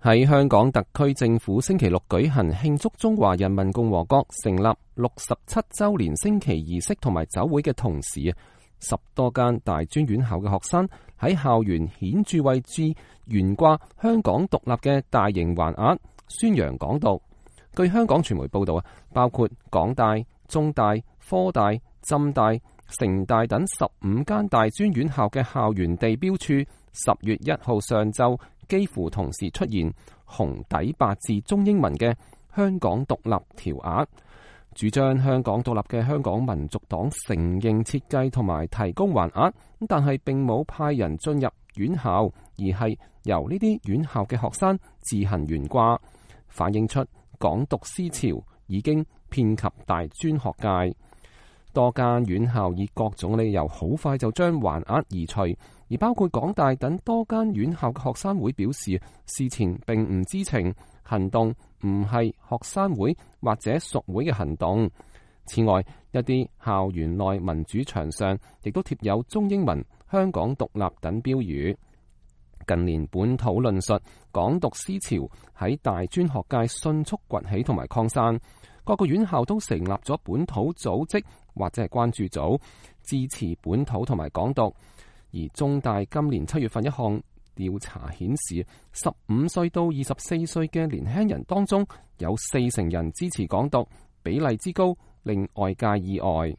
喺香港特區政府星期六舉行慶祝中華人民共和國成立67週年升旗儀式同埋酒會嘅同時，10多間大專院校嘅學生喺校園顯著位置懸掛香港獨立嘅大型橫額，宣揚港獨。據香港傳媒報道包括港大、中大、科大、浸大、城大等15間大專院校嘅校園地標處，10月1號上晝幾乎同時出現紅底白字中英文嘅香港獨立條額。主張香港獨立嘅香港民族黨承認設計同埋提供橫額，但係並冇派人進入院校，而係由呢啲院校嘅學生自行懸掛，反映出港獨思潮已經遍及大專學界。多間院校以各種理由好快就將橫額移除，而包括港大等多間院校嘅學生會表示，事前並唔知情，行動唔係學生會或者屬會嘅行動。此外，一啲校園內民主牆上亦都貼有中英文香港獨立等標語。近年本土論述、港獨思潮喺大專學界迅速崛起同埋擴散，各個院校都成立咗本土組織或者係關注組，支持本土同埋港獨。而中大今年7月份一項調查顯示，15歲到24歲嘅年輕人當中有40%人支持港獨，比例之高令外界意外。